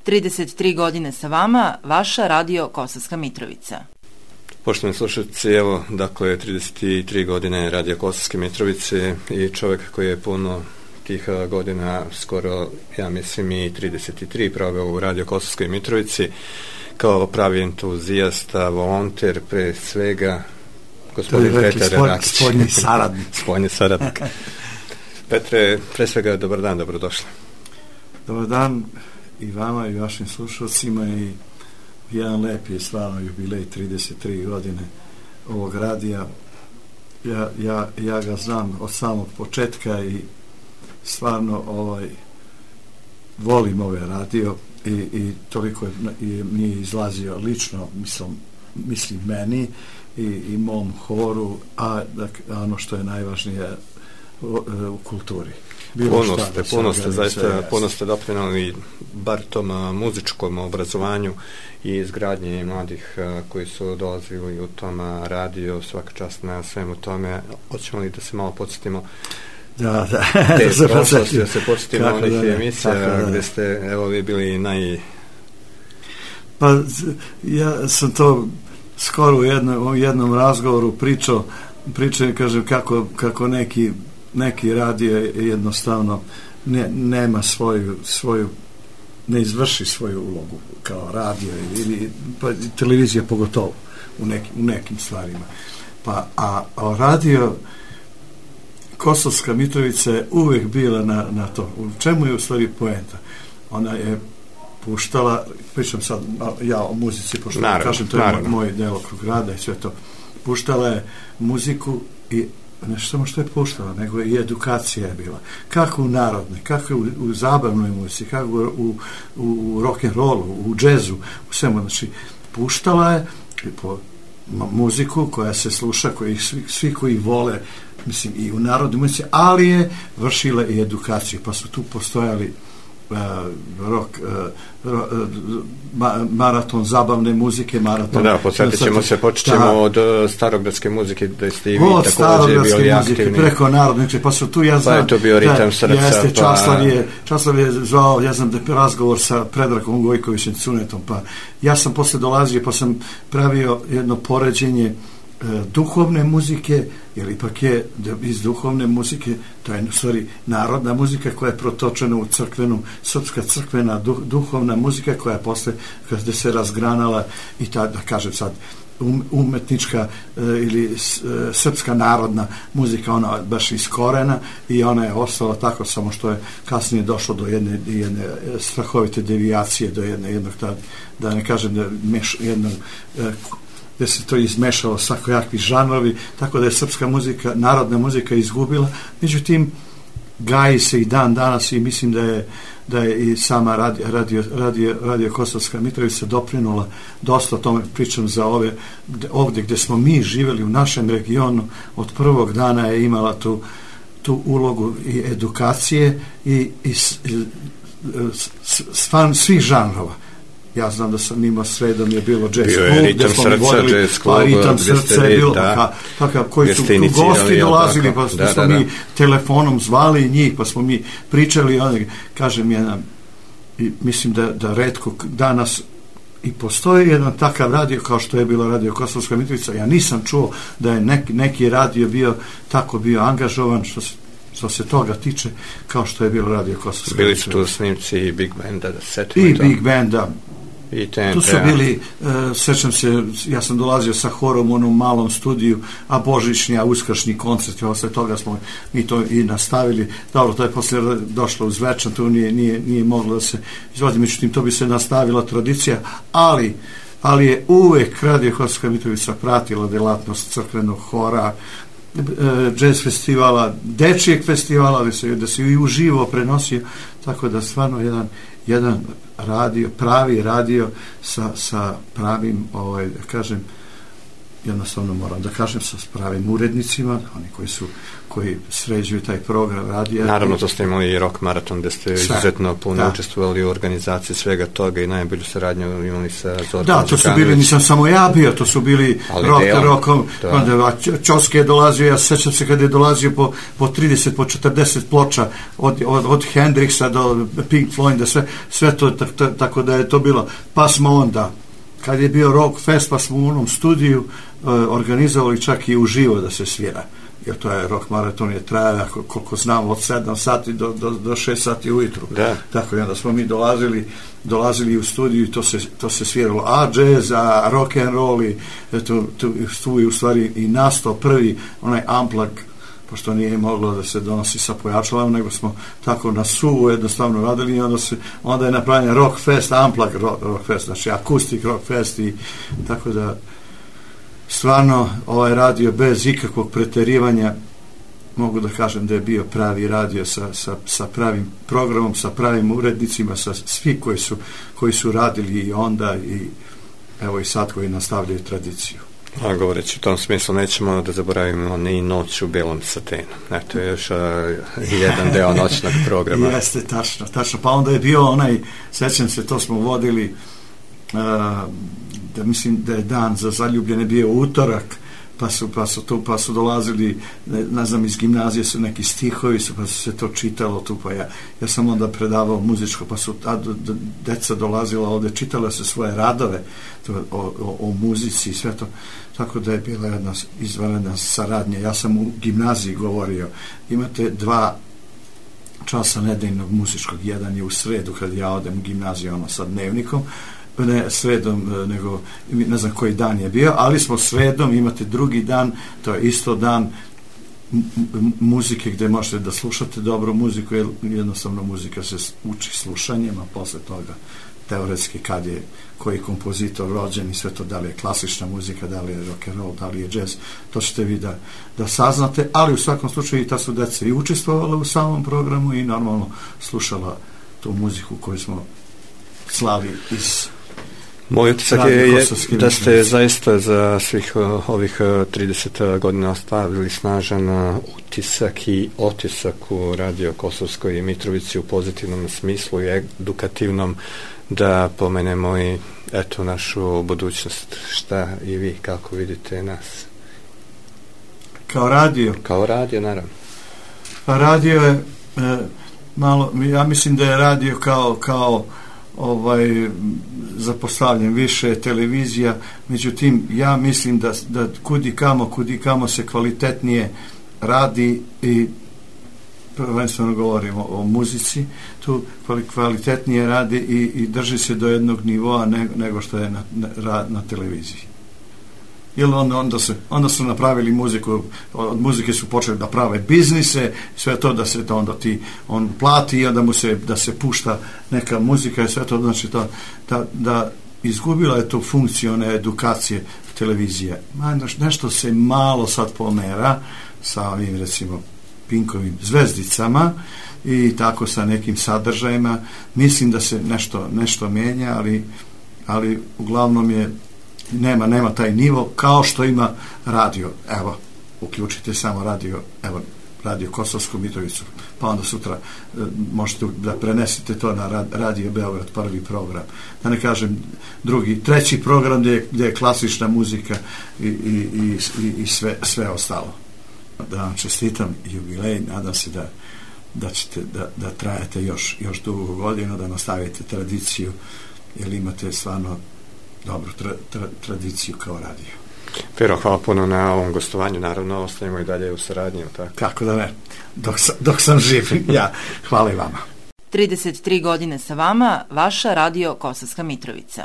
33 godine sa vama, vaša radio Kosovska Mitrovica. Poštovani slušalci, evo, dakle, 33 godine radio Kosovske Mitrovice i čovjek koji je puno tih godina, skoro, ja mislim, i 33 proveo u radio Kosovskoj Mitrovici, kao pravi entuzijasta, volonter, pre svega, gospodin Petar Rakić. Spoljni saradnik. Petre, pre svega, dobar dan, dobrodošli. Dobar dan i vama i vašim slušalcima i jedan lep je stvarno jubilej 33 godine ovog radija. Ja ga znam od samog početka i stvarno volim ovaj radio i toliko mi je izlazio lično, mislim meni i mom horu, a ono što je najvažnije u kulturi. Puno ste zaista puno ste doprinali bar tom muzičkom obrazovanju i izgradnji mladih koji su dolazili u tom radio, svaka čast na svemu tome. Hoćemo li da se malo podsjetimo te prošlosti, da se podsjetimo onih emisija gde ste, evo, vi bili Pa ja sam to skoro u jednom razgovoru pričao, kažem, kako neki radio jednostavno nema svoju ne izvrši svoju ulogu kao radio ili pa televizija pogotovo u nekim stvarima. A radio Kosovska Mitrovica je uvek bila na to. U čemu je u stvari poenta? Ona je puštala, pričam sad ja o muzici, pošto kažem, to je moj delokrug rada i sve to. Puštala je muziku i ne samo što je puštala, nego i edukacija je bila. Kako u narodnoj, kako u zabavnoj muzici, kako u rock'n'rollu, u džezu, u svemu. Znači, puštala je po muziku koja se sluša, svi koji vole, mislim, i u narodnoj muzici, ali je vršila i edukaciju, pa su tu postojali maraton zabavne muzike, maraton... Da, počećemo od starogradske muzike, da ste i vi također bili aktivni. Preko narodne, pa su tu, ja znam... Pa je to bio ritam srca, Časlav je zvao, ja znam, razgovor sa Predragom Gojkovićem Cunetom, pa ja sam posle dolazio, pa sam pravio jedno poređenje duhovne muzike, jer ipak je iz duhovne muzike, to je u stvari narodna muzika koja je protočena u crkvenu, srpska crkvena duhovna muzika koja je posle, kada se razgranala i ta, da kažem sad, umetnička ili srpska narodna muzika, ona baš iz korena i ona je ostala tako, samo što je kasnije došlo do jedne strahovite devijacije, do jednog, da ne kažem, jednog gde se to izmešalo svakojakvi žanrovi, tako da je srpska muzika, narodna muzika izgubila. Međutim, gaji se i dan danas i mislim da je i sama radio Kosovska Mitrovica doprinula dosta, o tome pričam za ovdje gde smo mi živjeli u našem regionu, od prvog dana je imala tu ulogu i edukacije i svih žanrova. Ja znam da sam imao sredom je bilo jazz klub, gde smo mi vodili, ritam srca je bilo, koji su tu gosti dolazili, pa smo mi telefonom zvali njih, pa smo mi pričali, kažem, i mislim da retko danas i postoji jedan takav radio kao što je bilo radio Kosovska Mitrovica. Ja nisam čuo da je neki radio bio angažovan što se toga tiče, kao što je bilo radio Kosovska. Bili su tu snimci i Big Banda, Big Banda. Tu su bili, sećam se, ja sam dolazio sa horom u onom malom studiju, a božićni, a uskršnji koncert, i osle toga smo mi to i nastavili. Dobro, to je posle došlo uz večer, tu nije moglo da se izvodi, međutim, to bi se nastavila tradicija, ali je uvek radio Kosovska Mitrovica pratila delatnost crkvenog hora, jazz festivala, dečijeg festivala, da se i uživo prenosio, tako da stvarno jedan radio, pravi radio sa pravim, kažem, jednostavno moram da kažem sa pravim urednicima, oni koji sređuju taj program radija. Naravno, to ste imali i rock maraton gde ste izuzetno puno učestvovali u organizaciji svega toga i najbolju saradnju imali sa Zorkom. Da, to su bili, nisam samo ja bio, to su bili rokom, Čoske je dolazio, ja sećam se kada je dolazio po 30, po 40 ploča od Hendrixa do Pink Floyda, sve to, tako da je to bilo. Pa smo onda, kad je bio Rock Fest, pa smo u onom studiju organizovali čak i uživo da se svira, jer to je rock maraton je traja, koliko znam, od 7 sati do 6 sati ujutru. Da. Tako, i onda smo mi dolazili u studiju i to se sviralo, a jazz, a rock and roll, i tu je u stvari i nastao prvi onaj unplug, pošto nije moglo da se donosi sa pojačalom, nego smo tako na suvu jednostavno radili i onda je napravljen Rock Fest, unplug Rock Fest, znači akustik Rock Fest, i tako da stvarno ovaj radio bez ikakvog preterivanja mogu da kažem da je bio pravi radio sa pravim programom, sa pravim urednicima, sa svi koji su radili i onda i evo i sad koji nastavljaju tradiciju. A govoreći u tom smislu, nećemo da zaboravimo ni Noć u belom satenu. To je još jedan deo noćnog programa. Jeste, tačno. Pa onda je bio onaj, sećam se, to smo vodili, da mislim da je dan za zaljubljene bio utorak, pa su dolazili, ne znam, iz gimnazije su neki stihovi, pa su se to čitalo tu, pa ja sam onda predavao muzičko, pa su deca dolazila ovde, čitala se svoje radove o muzici i sve to, tako da je bila jedna izvanredna saradnja. Ja sam u gimnaziji govorio, imate 2 časa nedeljnog muzičkog, jedan je u sredu kad ja odem u gimnaziju sa dnevnikom, ne sredom, nego ne znam koji dan je bio, ali smo sredom, imate drugi dan, to je isto dan muzike gde možete da slušate dobru muziku, jer jednostavno muzika se uči slušanjem, a posle toga teoretski kad je koji kompozitor rođen i sve to, da li je klasična muzika, da li je rock and roll, da li je jazz, to ćete vi da saznate, ali u svakom slučaju i ta su deca i učestvovala u samom programu i normalno slušala tu muziku koju smo slali iz Moj utisak je da ste zaista za svih ovih 30 godina ostavili snažan utisak i otisak u Radio Kosovskoj Mitrovici u pozitivnom smislu i edukativnom, da pomenemo i eto našu budućnost. Šta i vi, kako vidite nas? Kao radio? Kao radio, naravno. Radio je malo, ja mislim da je radio kao zapostavljen, više televizija, međutim ja mislim da kud i kamo se kvalitetnije radi i prvenstveno govorimo o muzici, tu kvalitetnije radi i drži se do jednog nivoa nego što je na televiziji. Jer onda su napravili muziku, od muzike su počeli da prave biznise, sve to da se to onda on plati i onda mu se da se pušta neka muzika i sve to, znači da izgubila je tu funkciju one edukacije televizije. Nešto se malo sad pomera sa ovim recimo Pinkovim zvezdicama i tako sa nekim sadržajima. Mislim da se nešto menja, ali uglavnom je nema taj nivo kao što ima radio. Evo, uključite samo radio Kosovsku Mitrovicu, pa onda sutra možete da prenesete to na Radio Beograd, prvi program, da ne kažem drugi, treći program gdje je klasična muzika i sve ostalo. Da vam čestitam jubilej, nadam se da ćete da trajete još dugo godina, da nastavite tradiciju, jer imate stvarno dobru tradiciju kao radio. Pero, hvala puno na ovom gostovanju, naravno ostajemo i dalje u saradnji. Tako? Kako da ne, dok sam živ, ja, hvala i vama. 33 godine sa vama, vaša Radio Kosovska Mitrovica.